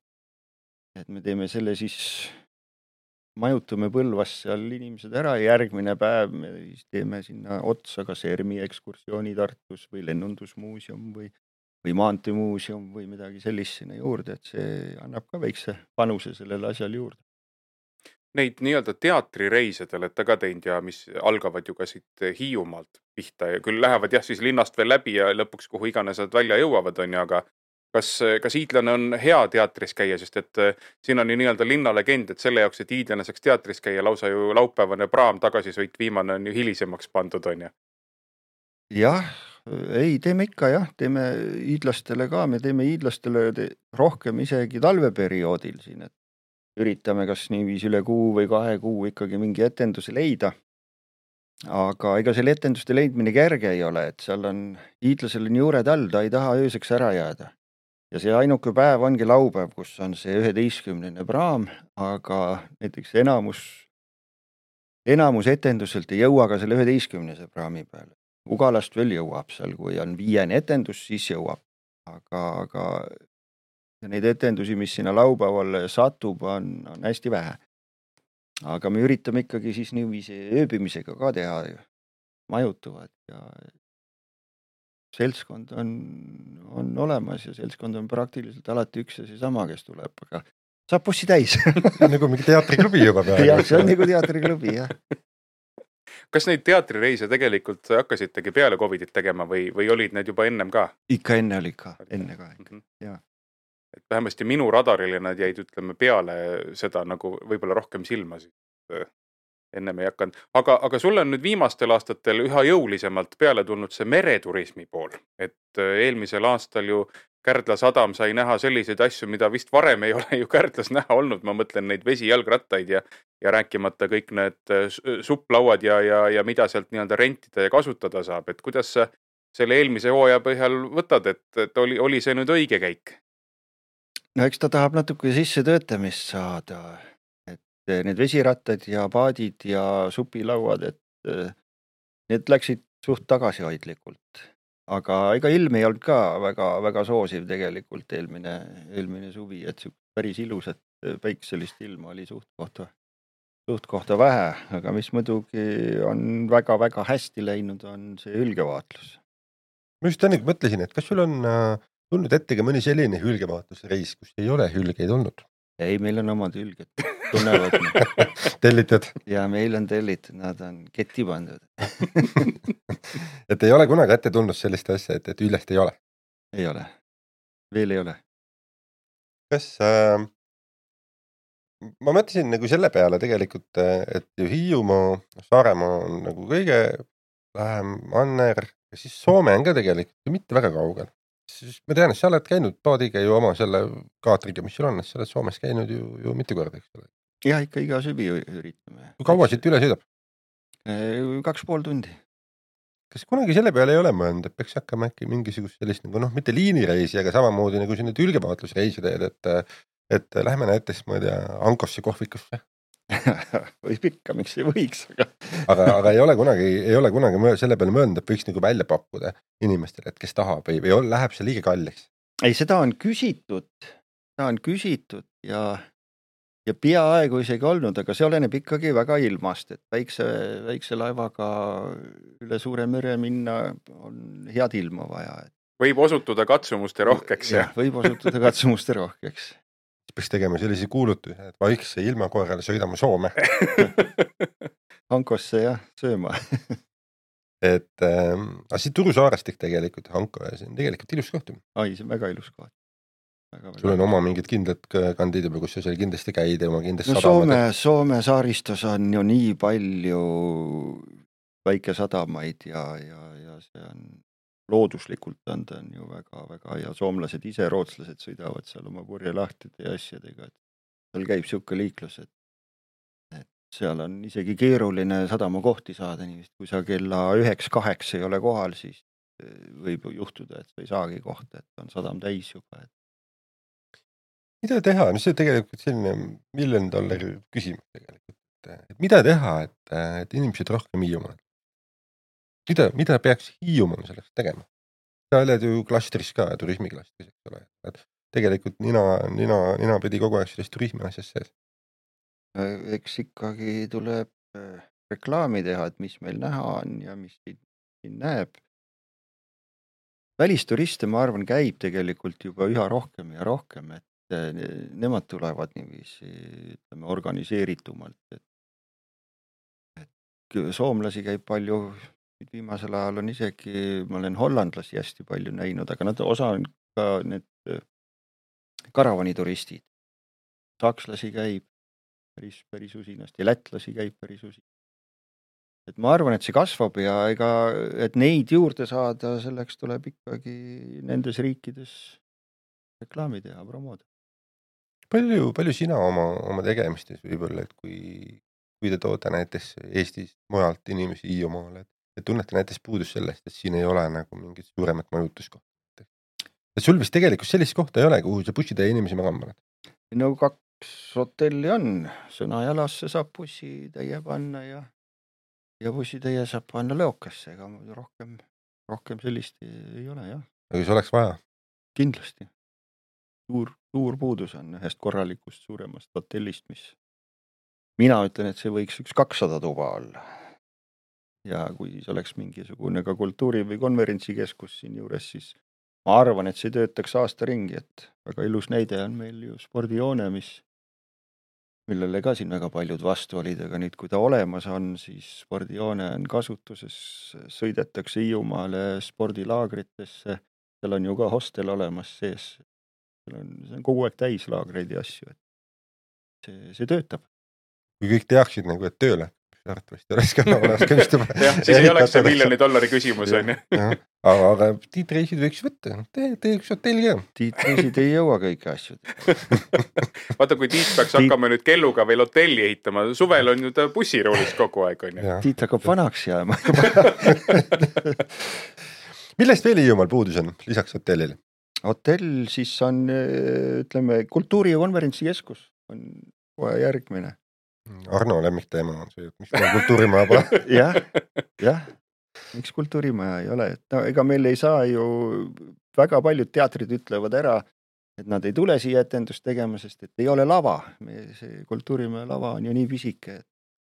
Speaker 3: Et me teeme selle siis, majutume Põlvas seal inimesed ära ja järgmine päev me siis teeme sinna otsa kas ERMi ekskursiooni Tartus või lennundusmuuseum või maanteemuuseum või midagi sellist sinna juurde, et see annab ka väikse panuse sellele asjale juurde.
Speaker 4: Neid nii-öelda teatrireise te olete ka teinud ja mis algavad ju ka siit Hiiumaalt pihta ja küll lähevad jah siis linnast veel läbi ja lõpuks kuhu iganes nad välja jõuavad on ju, aga kas hiidlane on hea teatris käia, sest et siin on ju nii-öelda linnalegend, et selle jaoks, et hiidlane saaks teatris käia, lausa ju laupäevane praam tagasisõit viimane on ju hilisemaks pandud on ju.
Speaker 3: Jah, ei, teeme ikka jah, teeme hiidlastele ka, me teeme hiidlastele rohkem isegi talveperioodil siin, et üritame kas niiviisi üle kuu või 2 kuu ikkagi mingi etenduse leida. Aga ega selle etenduste leidmine kerge ei ole, et seal on hiidlasel on juured all, ta ei taha ööseks ära jääda. Ja see ainuke päev ongi laupäev, kus on see 11. praam, aga näiteks enamus etenduselt ei jõua ka selle 11. praami peale. Ugalast veel jõuab seal, kui on 5. etendus, siis jõuab. Aga neid etendusi, mis sinna laupäeval satub, on hästi vähe. Aga me üritame ikkagi siis niiviisi ööbimisega ka teha, majutuvad ja seltskond on olemas ja seltskond on praktiliselt alati üks ja seesama, kes tuleb, aga saab bussi täis.
Speaker 2: Nagu mingi teatriklubi juba peale.
Speaker 3: Jah, see on nagu teatriklubi, jah.
Speaker 4: Kas neid teatrireise tegelikult hakkasitegi peale Covidit tegema või olid need juba ennem ka?
Speaker 3: Ikka enne oli ka, enne ka, jah.
Speaker 4: Et vähemasti minu radarile nad jäid, ütleme, peale seda nagu võib-olla rohkem silma, ennem ei hakanud. Aga sulle on nüüd viimastel aastatel üha jõulisemalt peale tulnud see mereturismi pool, et eelmisel aastal ju Kärdla sadam sai näha selliseid asju, mida vist varem ei ole ju Kärdlas näha olnud, ma mõtlen neid vesijalgrattaid ja rääkimata kõik need supplauad ja mida sealt nii-öelda rentida ja kasutada saab, et kuidas sa selle eelmise hooaja põhjal võtad, et oli see nüüd õige käik?
Speaker 3: no eks ta tahab natuke sisse töötamist saada, et need vesirattad ja paadid ja supilauad, et need läksid suht tagasihoidlikult. Aga ega ilm ei olnud ka väga soosiv tegelikult eelmine suvi, et päris ilusat päikselist ilma oli suht kohta vähe, aga mis muidugi on väga hästi läinud, on see hülgevaatlus.
Speaker 2: Ma just enne mõtlesin, et kas sul on tulnud ette ka mõni selline hülgevaatlusreis, kus ei ole hülgeid olnud?
Speaker 3: Ei, meil on omad hülged, tunnevad.
Speaker 2: Tellitud?
Speaker 3: Ja meil on tellitud, nad on ketti pandud.
Speaker 2: Et ei ole kunagi ette tulnud sellist asja, et üllest ei ole?
Speaker 3: Ei ole, veel ei ole.
Speaker 2: Kas ma mõtlesin nagu selle peale tegelikult, et ju Hiiumaa, Saaremaa on nagu kõige lähem manner ja siis Soome on ka tegelikult mitte väga kaugel. Siis ma tean, et sa oled käinud paadiga ju oma selle kaatriga, mis sul on, et sa oled Soomes käinud ju mitu korda, eks ole.
Speaker 3: Ja ikka iga süvi üritame.
Speaker 2: Kui kaua siit üle sõidab?
Speaker 3: 2,5 tundi.
Speaker 2: Kas kunagi selle peale ei ole mõelnud, et peaks hakkama äkki mingisugust sellist nagu mitte liinireisi, aga samamoodi nagu siin need hülgevaatlusreisi teed, et lähme näiteks, ma ei tea, Ankosse kohvikusse?
Speaker 3: Võib ikka, miks ei võiks,
Speaker 2: aga ei ole kunagi selle peale mõelnud, et võiks nagu välja pakkuda inimestele, et kes tahab või läheb see liiga kalliks?
Speaker 3: Ei, seda on küsitud ja peaaegu isegi olnud, aga see oleneb ikkagi väga ilmast, et väikse laevaga üle suure mere minna on head ilma vaja.
Speaker 4: Võib osutuda katsumuste rohkeks.
Speaker 3: Võib osutuda katsumuste rohkeks.
Speaker 2: Peaks tegema sellise kuulutusi, et vaikse ilma koerale sõidame Soome.
Speaker 3: Hankosse jah, sööma.
Speaker 2: Et siit Turu Saarestik tegelikult Hanko ja see on tegelikult ilus koht.
Speaker 3: Ai, see on väga ilus koht.
Speaker 2: Sul on oma mingid kindlad kandid juba, kus sa seal kindlasti käid ja oma kindlasti sadamad.
Speaker 3: Soome saaristus on ju nii palju väikesadamaid ja see on looduslikult on ta ju väga ja soomlased ise, rootslased sõidavad seal oma purjelahtide ja asjadega, et seal käib siuke liiklus, et seal on isegi keeruline sadamakohti saada, nii kui sa kella 9-8 ei ole kohal, siis võib juhtuda, et sa ei saagi kohta, et on sadam täis juba.
Speaker 2: Mida teha? No see tegelikult selline $1 million küsimus tegelikult, et mida teha, et inimesed rohkem Hiiumaal? Mida peaks Hiiumaal selleks tegema? Sa oled ju klastris ka, turismiklastris, eks ole. Et tegelikult nina pidi kogu aeg sellest turismi asjast sees.
Speaker 3: Eks ikkagi tuleb reklaami teha, et mis meil näha on ja mis siin näeb. Välisturiste, ma arvan, käib tegelikult juba üha rohkem ja rohkem, et nemad tulevad niiviisi, ütleme, organiseeritumalt. Et soomlasi käib palju. Viimasel ajal on isegi, ma olen hollandlasi hästi palju näinud, aga nad osa on ka need karavanituristid. Sakslasi käib päris usinasti ja lätlasi käib päris usinasti. Et ma arvan, et see kasvab ja et neid juurde saada, selleks tuleb ikkagi nendes riikides reklaami teha, promoda.
Speaker 2: Palju sina oma tegemistes võib-olla, et kui te toote näiteks Eestis mujalt inimesi Hiiumaale, et tunnete näiteks puudus sellest, et siin ei ole nagu mingit suuremat majutuskohta. Et sul vist tegelikult sellist kohta ei ole, kuhu sa bussitee inimesi magama paned?
Speaker 3: No 2 hotelli on. Sõnajalasse saab bussitäie panna ja bussitäie saab panna Leokasse, ega rohkem sellist ei ole, jah.
Speaker 2: Aga see oleks vaja?
Speaker 3: Kindlasti. Suur puudus on ühest korralikust suuremast hotellist, mis mina ütlen, et see võiks 200 tuba olla. Ja kui see oleks mingisugune ka kultuuri- või konverentsikeskus siin juures, siis ma arvan, et see töötaks aasta ringi, et väga ilus näide on meil ju spordijoone, millele ka siin väga paljud vastu olid, aga nüüd, kui ta olemas on, siis spordijoone on kasutuses, sõidetakse Hiiumaale spordilaagritesse, seal on ju ka hostel olemas sees, see on kogu aeg täis laagreid ja asju, et see töötab.
Speaker 2: Kui kõik teaksid nagu, et tööle, arvatavasti oleks ka olemas kõmstuba.
Speaker 4: Jah, siis ei oleks see $1 million küsimus, on ju.
Speaker 2: Aga tiitreisid võiks võtta, tee üks hotell ka.
Speaker 3: Tiitreisid ei jõua kõiki asju.
Speaker 4: Vaata, kui Tiit peaks hakkama nüüd kelluga veel hotelli ehitama, suvel on ju ta bussiroolis kogu aeg, on ju.
Speaker 3: Tiit hakkab vanaks jääma.
Speaker 2: Millest veel Hiiumaal puudus on, lisaks hotellile?
Speaker 3: hotell siis on, ütleme, kultuuri- ja konverentsikeskus on kohe järgmine.
Speaker 2: Arno lemmikteema on see, et miks meil kultuurimaja pole.
Speaker 3: jah, miks kultuurimaja ei ole, et no ega meil ei saa ju, väga paljud teatrid ütlevad ära, et nad ei tule siia etendust tegema, sest et ei ole lava. See kultuurimaja lava on ju nii pisike.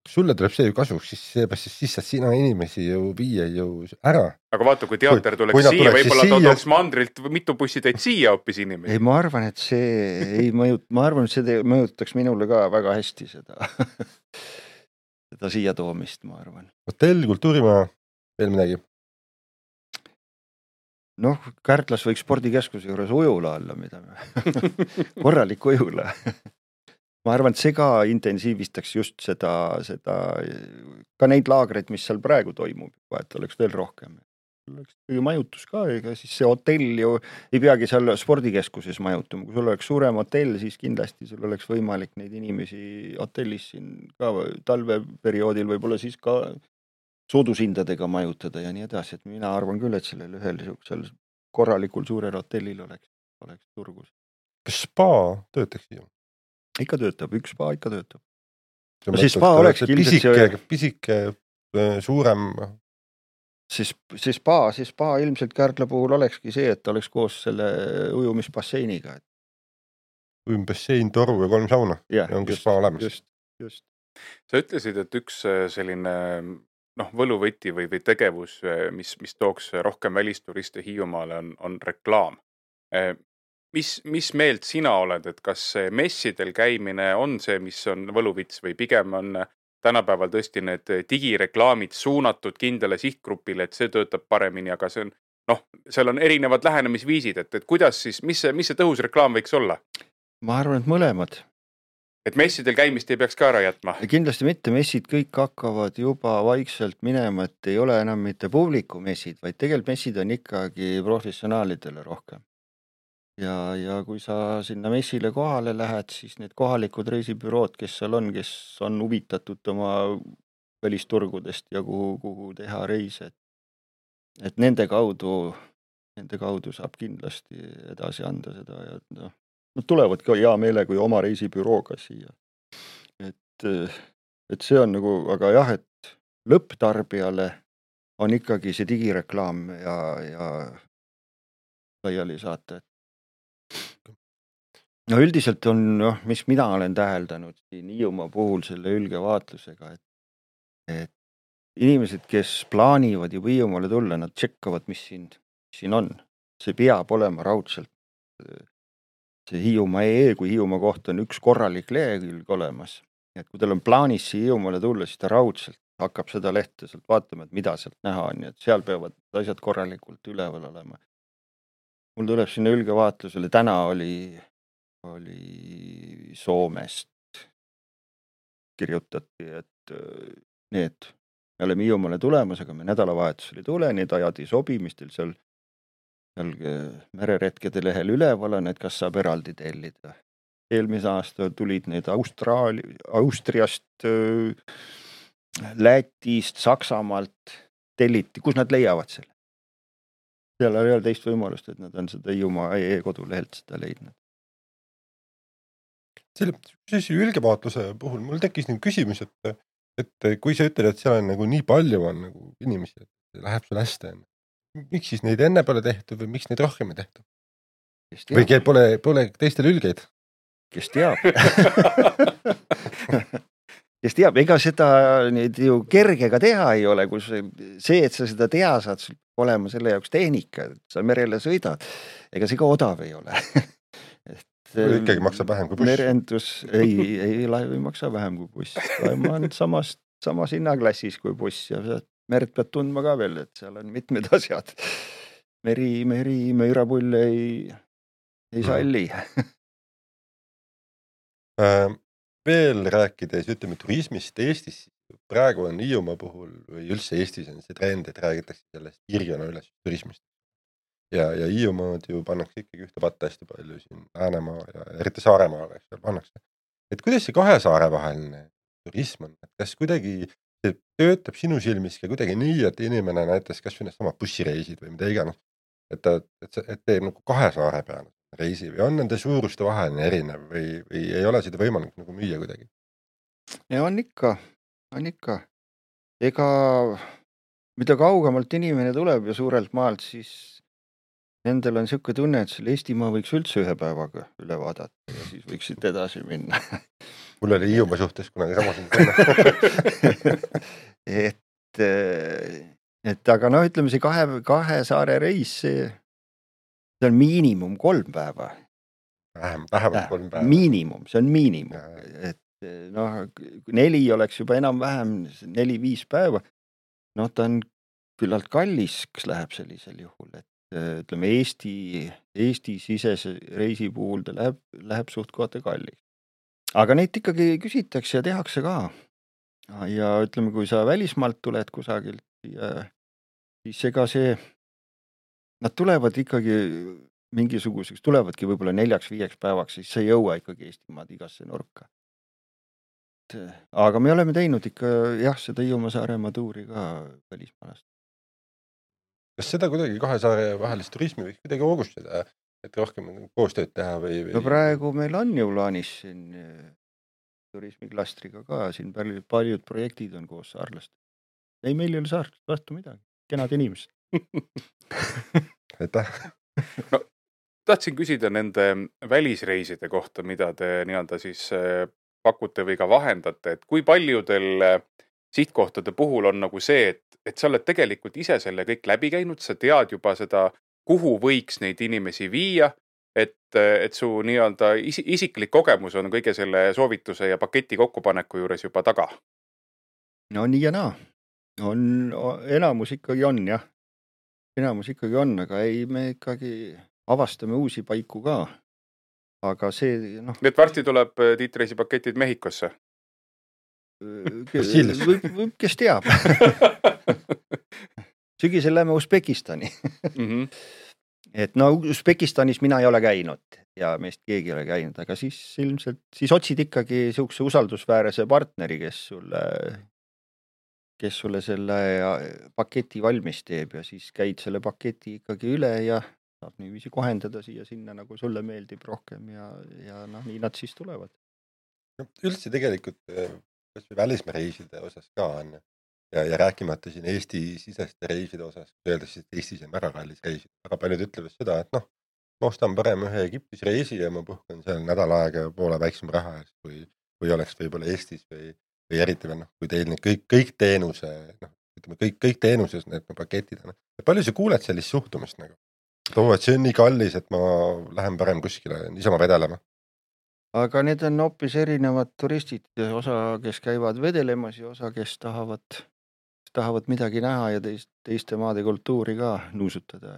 Speaker 2: Sulle tuleb see ju kasuks, siis seepärast siis saad sina inimesi ju viia ju ära.
Speaker 4: Aga vaata, kui teater tuleks siia, võib-olla tooks mandrilt mitu bussitäit siia hoopis inimesi.
Speaker 3: Ei, ma arvan, et see ei ma arvan, et see mõjutaks minule ka väga hästi seda siia toomist, ma arvan.
Speaker 2: Hotell, kultuurimaja, veel midagi?
Speaker 3: Noh, Kärdlas võiks spordikeskuse juures ujula olla, mida korralik ujula. Ma arvan, et see ka intensiivistaks just seda ka neid laagreid, mis seal praegu toimub, et oleks veel rohkem. Oleks majutus ka, ega siis see hotell ju ei peagi seal spordikeskuses majutuma. Kui sul oleks suurem hotell, siis kindlasti sul oleks võimalik neid inimesi hotellis siin ka talveperioodil võib-olla siis ka soodusindadega majutada ja nii edasi, et mina arvan küll, et sellel ühel korralikul suurel hotellil oleks turgus.
Speaker 2: Kas spa töötaks siia?
Speaker 3: Ikka töötab, üks spa ikka töötab. No siis spa oleks
Speaker 2: pisike, suurem.
Speaker 3: See spa ilmselt Kärdla puhul olekski see, et oleks koos selle ujumisbasseiniga.
Speaker 2: Ujumibassein, toru ja 3 sauna. Ja ongi spa olemas.
Speaker 3: Just.
Speaker 4: Sa ütlesid, et üks selline võluvõti või tegevus, mis tooks rohkem välisturiste Hiiumaale on reklaam. Mis meelt sina oled, et kas messidel käimine on see, mis on võluvits või pigem on tänapäeval tõesti need digireklaamid suunatud kindlale sihtgrupile, et see töötab paremini, aga see on, seal on erinevad lähenemisviisid, et kuidas siis, mis see tõhus reklaam võiks olla?
Speaker 3: Ma arvan, et mõlemad.
Speaker 4: Et messidel käimist ei peaks ka ära jätma?
Speaker 3: Kindlasti mitte, messid kõik hakkavad juba vaikselt minema, et ei ole enam mitte publiku messid, vaid tegelikult messid on ikkagi professionaalidele rohkem. Ja kui sa sinna messile kohale lähed, siis need kohalikud reisibürood, kes on huvitatud oma välisturgudest ja kuhu teha reise, et nende kaudu saab kindlasti edasi anda seda ja nad tulevad ka hea meelega kui oma reisibürooga siia. Et see on nagu, aga jah, et lõpptarbijale on ikkagi see digireklaam ja laiali saata. No üldiselt on, mis mina olen täheldanud siin Hiiumaa puhul selle ülgevaatlusega, et inimesed, kes plaanivad juba Hiiumaale tulla, nad tšekkavad, mis siin on. See peab olema raudselt. See Hiiumaa.ee, kui Hiiumaa kohta on üks korralik lehekülg olemas. Et kui teil on plaanis siia Hiiumaale tulla, siis ta raudselt hakkab seda lehte sealt vaatama, et mida sealt näha on. Et seal peavad asjad korralikult üleval olema. Mul tuleb sinna ülgevaatlusele, täna oli Soomest kirjutati, et me oleme Hiiumaale tulemas, aga me nädalavahetusel ei tule, need ajad ei sobi, mis teil seal mereretkede lehel üleval on, et kas saab eraldi tellida. Eelmise aasta tulid need Austriast, Lätist, Saksamaalt telliti, kus nad leiavad selle? Seal ei ole teist võimalust, et nad on seda Hiiumaa.ee kodulehelt seda leidnud.
Speaker 2: Selle ülgevaatluse puhul mul tekkis nüüd küsimus, et kui sa ütled, et seal on nagu nii palju on nagu inimesi, et läheb sul hästi, miks siis neid enne pole tehtud või miks neid rohkem ei tehtud? Või pole teistel ülgeid?
Speaker 3: Kes teab? Kes teab, ega seda nüüd ju kergega teha ei ole, kus see, et sa seda teha saad, sul olema selle jaoks tehnika, et sa merele sõidad, ega see ka odav ei ole.
Speaker 2: Ikkagi maksab vähem kui buss.
Speaker 3: Merendus, ei laev ei maksa vähem kui buss. Laev on samas hinnaklassis kui buss ja merd pead tundma ka veel, et seal on mitmed asjad. Meri möirapull ei salli.
Speaker 2: Veel rääkides, ütleme turismist Eestis, praegu on Hiiumaa puhul või üldse Eestis on see trend, et räägitakse sellest kirjana üles turismist. Ja Hiiumaad ju pannakse ikkagi ühte patta hästi palju siin Läänemaa ja eriti Saaremaale, seal pannakse. Et kuidas see 2 saare vaheline turism on? Et kas kuidagi see töötab sinu silmis ka kuidagi nii, et inimene näiteks kas või need sama bussireisid või mida iganes et teeb nagu 2 saare peale reisi või on nende suuruste vaheline erinev või ei ole seda võimalik nagu müüa kuidagi?
Speaker 3: Ja on ikka. Ega mida kaugemalt inimene tuleb ja suurelt maalt, siis nendel on siuke tunne, et selle Eestimaa võiks üldse ühe päevaga üle vaadata ja siis võiks siit edasi minna.
Speaker 2: Mul oli Hiiumaa suhtes kunagi samasugune.
Speaker 3: et aga noh, ütleme see kahe saare reis, see on miinimum 3 päeva.
Speaker 2: Vähemalt 3 päeva.
Speaker 3: Miinimum, see on miinimum. Et noh, 4 oleks juba enam-vähem 4-5 päeva. Noh, ta on küllalt kallis, kas läheb sellisel juhul, et ütleme Eesti sisese reisi puhul ta läheb suht kohta kallis. Aga neid ikkagi küsitakse ja tehakse ka. Ja ütleme, kui sa välismaalt tuled kusagilt, siis ega see, nad tulevad ikkagi mingisuguseks, tulevadki võib-olla 4-5 päevaks, siis sa ei jõua ikkagi Eestimaad igasse nurka. Aga me oleme teinud ikka seda Hiiumaa Saaremaa tuuri ka välismaalast.
Speaker 2: Kas seda kuidagi 2 saare vahelist turismi võiks kuidagi hoogustada, et rohkem koostööd teha või?
Speaker 3: No praegu meil on ju plaanis siin turismiklastriga ka, siin paljud projektid on koos saarlast. Ei, meil ei ole saarlast vastu midagi, kenad inimesed.
Speaker 2: Aitäh.
Speaker 4: No, tahtsin küsida nende välisreiside kohta, mida te nii-öelda siis pakute või ka vahendate, et kui paljudel sihtkohtade puhul on nagu see, et sa oled tegelikult ise selle kõik läbi käinud, sa tead juba seda, kuhu võiks neid inimesi viia, et su nii-öelda isiklik kogemus on kõige selle soovituse ja paketi kokkupaneku juures juba taga?
Speaker 3: No nii ja naa. Enamus ikkagi on, jah. Enamus ikkagi on, aga ei, me ikkagi avastame uusi paiku ka. Aga see, noh...
Speaker 4: Nüüd varsti tuleb Tiit-reisi paketid Mehhikosse.
Speaker 3: Võib, kes teab. Sügisel lähme Usbekistani. Et no Usbekistanis mina ei ole käinud ja meist keegi ei ole käinud, aga siis ilmselt siis otsid ikkagi siukse usaldusväärese partneri, kes sulle selle paketi valmis teeb ja siis käid selle paketi ikkagi üle ja saab niiviisi kohendada siia sinna, nagu sulle meeldib rohkem ja noh, nii nad siis tulevad.
Speaker 2: Üldse tegelikult välismaa reiside osas ka on ja rääkimata siin Eesti siseste reiside osas, öeldes, et Eestis on väga kallis reisida. Väga paljud ütlevad seda, et noh, ma ostan parem ühe Egiptis reisi ja ma puhkan seal nädal aega poole väiksem raha eest, kui oleks võib-olla Eestis või eriti veel, kui teil need kõik teenuse, ütleme kõik teenuses need paketid on. Palju sa kuuled sellist suhtumist nagu? Et see on nii kallis, et ma lähen parem kuskile niisama vedelema.
Speaker 3: Aga need on hoopis erinevad turistid, osa, kes käivad vedelemas ja osa, kes tahavad midagi näha ja teiste maade kultuuri ka nuusutada,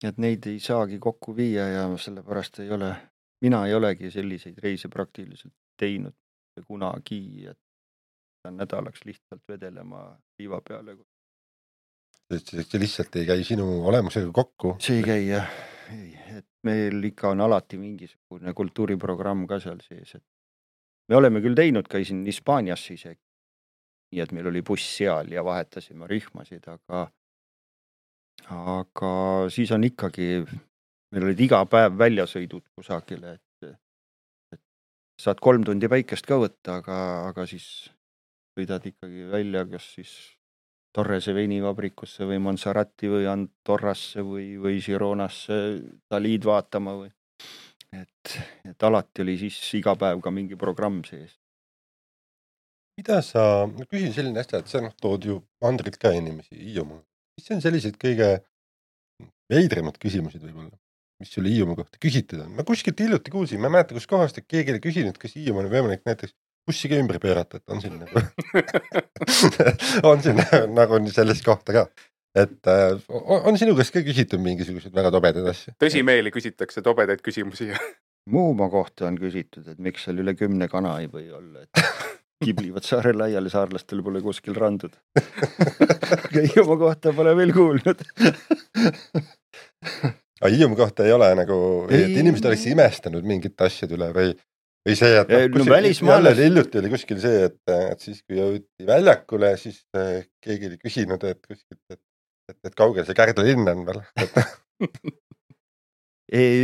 Speaker 3: et neid ei saagi kokku viia ja sellepärast mina ei olegi selliseid reise praktiliselt teinud kunagi, et nädalaks lihtsalt vedelema liiva peale.
Speaker 2: See lihtsalt ei käi sinu olemusega kokku?
Speaker 3: See ei käi, jah. Et meil ikka on alati mingisugune kultuuriprogramm ka seal sees, et me oleme küll teinud, käisin Hispaanias isegi, nii et meil oli buss seal ja vahetasime rühmasid, aga siis on ikkagi, meil olid iga päev väljasõidud kusagile, et saad 3 tundi päikest ka võtta, aga siis sõidad ikkagi välja, kas siis Torrese veinivabrikusse või Monserrati või Andorrasse või Gironasse Dalid vaatama või. Et alati oli siis iga päev ka mingi programm sees.
Speaker 2: Ma küsin selline asja, et sa tood ju Andrilt ka inimesi Hiiumaa. Mis on sellised kõige veidrimad küsimused võib-olla, mis sulle Hiiumaa kohta küsitud on? Ma kuskilt hiljuti kuulsin, ma ei mäleta, kus kohast, et keegi oli küsinud, kas Hiiumaa on võimalik näiteks bussiga ümber pöörata, et on siin nagu sellist kohta ka. Et on sinu käest ka küsitud mingisugused väga tobedad asja?
Speaker 4: Tõsimeeli küsitakse tobedaid küsimusi.
Speaker 3: Muumaa kohta on küsitud, et miks seal üle 10 kana ei või olla, et kiblivad saare laiali, saarlastel pole kuskil randud. Hiiumaa kohta pole veel kuulnud.
Speaker 2: Aga Hiiumaa kohta ei ole nagu, et inimesed oleks imestanud mingit asjad üle või see, et jälle hiljuti oli kuskil see, et siis kui jõuti väljakule, siis keegi oli küsinud, et kuskilt, et et kaugel see Kärdla linn on veel.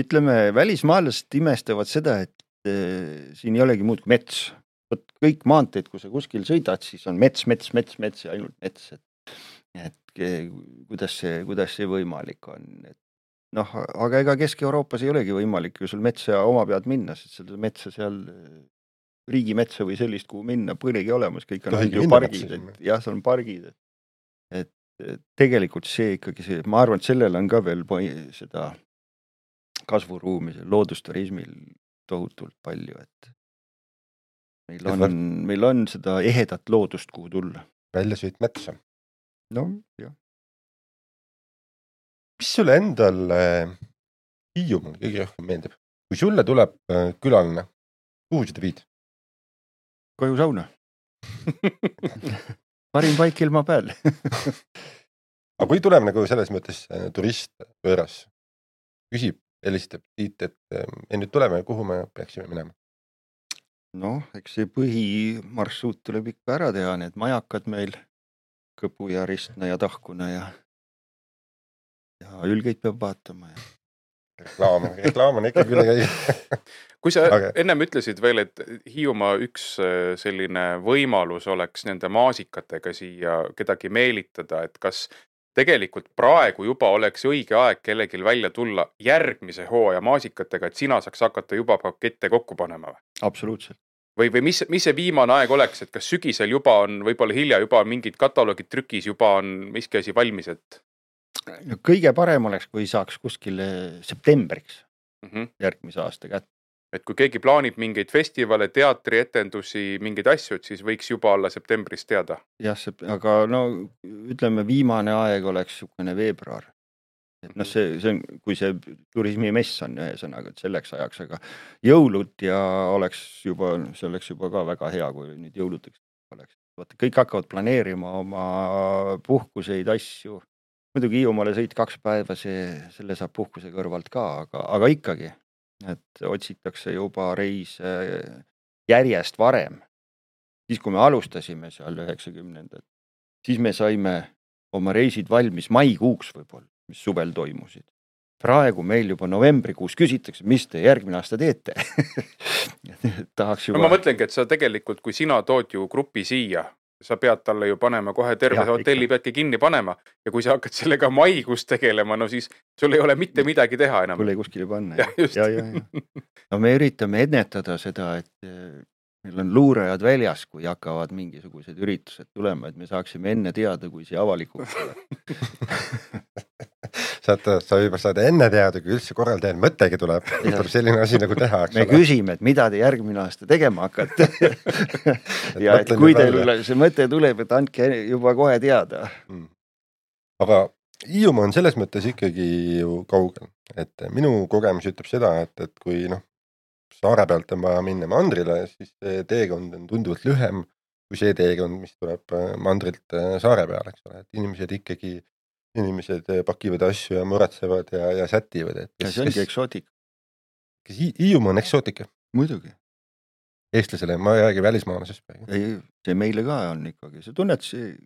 Speaker 3: Ütleme, välismaalased imestavad seda, et siin ei olegi muud kui mets. Võt kõik maanteed, kui sa kuskil sõidad, siis on mets ja ainult mets. Et kuidas see võimalik on. Noh, aga ega Kesk-Euroopas ei olegi võimalik ju sul metsa oma pead minna, sest seda metsa seal riigimetsa või sellist, kuhu minna, põlegi olemas, kõik on ju pargid, et jah, seal on pargid. Et tegelikult see ikkagi see, ma arvan, et sellel on ka veel seda kasvuruumi, loodusturismil tohutult palju, et meil on seda ehedat loodust, kuhu tulla.
Speaker 2: Väljasõit metsa.
Speaker 3: No, jah.
Speaker 2: Mis sulle endal Hiiumaal kõige rohkem meeldib? Kui sulle tuleb külaline, kuhu seda viid?
Speaker 3: Koju sauna. Parim paik ilma peal.
Speaker 2: Aga kui tuleb nagu selles mõttes turist pööras, küsib, helistab siit, et nüüd tuleme, kuhu me peaksime minema?
Speaker 3: Noh, eks see põhimarsruut tuleb ikka ära teha, need majakad meil, Kõpu ja Ristna ja Tahkuna ja Ülgeid peab vaatama.
Speaker 2: Reklaam on ikka küll käi.
Speaker 4: Kui sa ennem ütlesid veel, et Hiiumaa üks selline võimalus oleks nende maasikatega siia kedagi meelitada, et kas tegelikult praegu juba oleks õige aeg kellegil välja tulla järgmise hooaja maasikatega, et sina saaks hakata juba pakette kokku panema?
Speaker 3: Absoluutselt.
Speaker 4: Või mis see viimane aeg oleks, et kas sügisel juba on, võib-olla hilja juba on mingid kataloogid trükis, juba on miski asi valmis, et
Speaker 3: kõige parem oleks, kui saaks kuskile septembriks järgmise aasta kätte.
Speaker 4: Et kui keegi plaanib mingeid festivale, teatri, etendusi, mingeid asju, siis võiks juba olla septembris teada.
Speaker 3: Jah, aga no ütleme, viimane aeg oleks sukene veebruar. Et noh, see on, kui see turismimess on ühesõnaga, et selleks ajaks, aga jõulud ja see oleks juba ka väga hea, kui nüüd jõuluteks oleks. Vaata, kõik hakkavad planeerima oma puhkuseid, asju. Muidugi Hiiumaale sõit 2 päeva, selle saab puhkuse kõrvalt ka, aga ikkagi, et otsitakse juba reise järjest varem. Siis, kui me alustasime seal 90-ndad, siis me saime oma reisid valmis maikuuks võib-olla, mis suvel toimusid. Praegu meil juba novembrikuus küsitakse, mis te järgmine aasta teete. Tahaks juba...
Speaker 4: Ma mõtlengi, et sa tegelikult, kui sina tood ju grupi siia, sa pead talle ju panema kohe terve hotelli peadki kinni panema ja kui sa hakkad sellega maikuus tegelema, no siis sul ei ole mitte midagi teha enam.
Speaker 3: Sul ei kuskile panna. Ja. No me üritame ennetada seda, et meil on luurajad väljas, kui hakkavad mingisugused üritused tulema, et me saaksime enne teada, kui see avalikuks tuleb.
Speaker 2: Sa juba saad enne teada, kui üldse korraldajal mõttegi tuleb. Tuleb selline asi nagu teha.
Speaker 3: Me küsime, et mida te järgmine aasta tegema hakkate. Ja et kui teil see mõte tuleb, et andke juba kohe teada.
Speaker 2: Aga Hiiumaa on selles mõttes ikkagi ju kaugel. Et minu kogemus ütleb seda, et kui saare pealt on vaja minna mandrile, siis teekond on tunduvalt lühem kui see teekond, mis tuleb mandrilt saare peale. Et inimesed pakivad asju ja muretsevad ja sätivad.
Speaker 3: Ja see ongi eksootika.
Speaker 2: Kas Hiiumaa on eksootika?
Speaker 3: Muidugi.
Speaker 2: Eestlasele, ma ei räägi välismaalasest.
Speaker 3: Ei, see meile ka on ikkagi. See tunnet,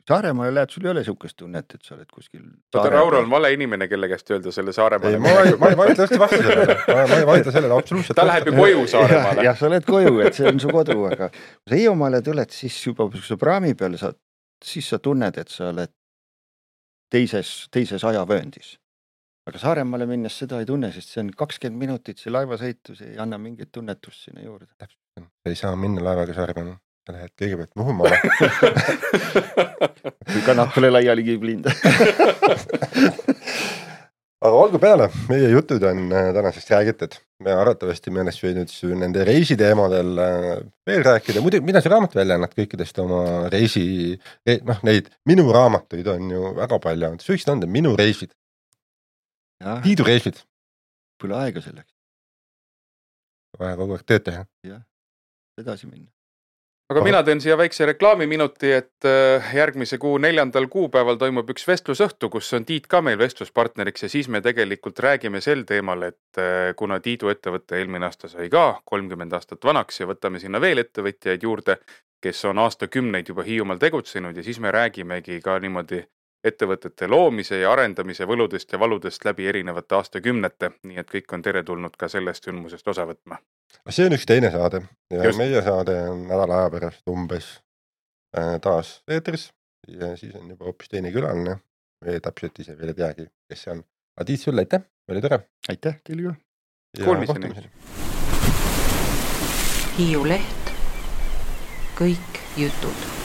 Speaker 3: Saaremaale lähed, sul ei ole sihukest tunnet, et sa oled kuskil...
Speaker 4: Raul on vale inimene, kelle käest öelda selle Saaremaale.
Speaker 2: Ma ei vaidle hästi vastu sellele. Ma ei vaidle sellele absoluutselt.
Speaker 4: Ta läheb ju koju Saaremaale.
Speaker 3: Jah, sa oled koju, et see on su kodu, aga kui sa Hiiumaale tuled, siis juba kui praami peal siis sa tunned, et sa oled teises ajavööndis. Aga Saaremaale minnes seda ei tunne, sest see on 20 minutit, see laevasõitus ei anna mingit tunnetust sinna juurde.
Speaker 2: Sa ei saa minna laevaga Saaremaale. Sa lähed kõigepealt Muhumaale.
Speaker 3: Kui kannad pole laiali kiblind.
Speaker 2: Aga olgu peale, meie jutud on tänasest räägitud. Me arvatavasti me oleks võinud nende reisiteemadel veel rääkida. Muidu, mida see raamat välja annad kõikidest oma neid minu raamatuid on ju väga palju. Sa võiksid anda minu reisid. Tiidu reisid.
Speaker 3: Pole aega selleks.
Speaker 2: Vaja kogu aeg tööd teha.
Speaker 3: Jah, edasi minna.
Speaker 4: Aga mina teen siia väikse reklaamiminuti, et järgmise kuu 4. kuupäeval toimub üks vestlusõhtu, kus on Tiit ka meil vestluspartneriks ja siis me tegelikult räägime sel teemal, et kuna Tiidu ettevõtte eelmine aasta sai ka 30 aastat vanaks ja võtame sinna veel ettevõtjaid juurde, kes on aastakümneid juba Hiiumaal tegutsenud ja siis me räägimegi ka niimoodi ettevõtete loomise ja arendamise võludest ja valudest läbi erinevate aastakümnete, nii et kõik on teretulnud ka sellest sündmusest osa võtma.
Speaker 2: See on üks teine saade ja
Speaker 4: Just.
Speaker 2: meie saade on nädala aja pärast umbes taas eetris ja siis on juba hoopis teine külaline. Me täpselt ise veel ei teagi, kes see on. Aga Tiit sulle, aitäh, oli tore.
Speaker 3: Aitäh teile ka.
Speaker 4: Kuulmiseni.
Speaker 1: Hiiu Leht, kõik jutud.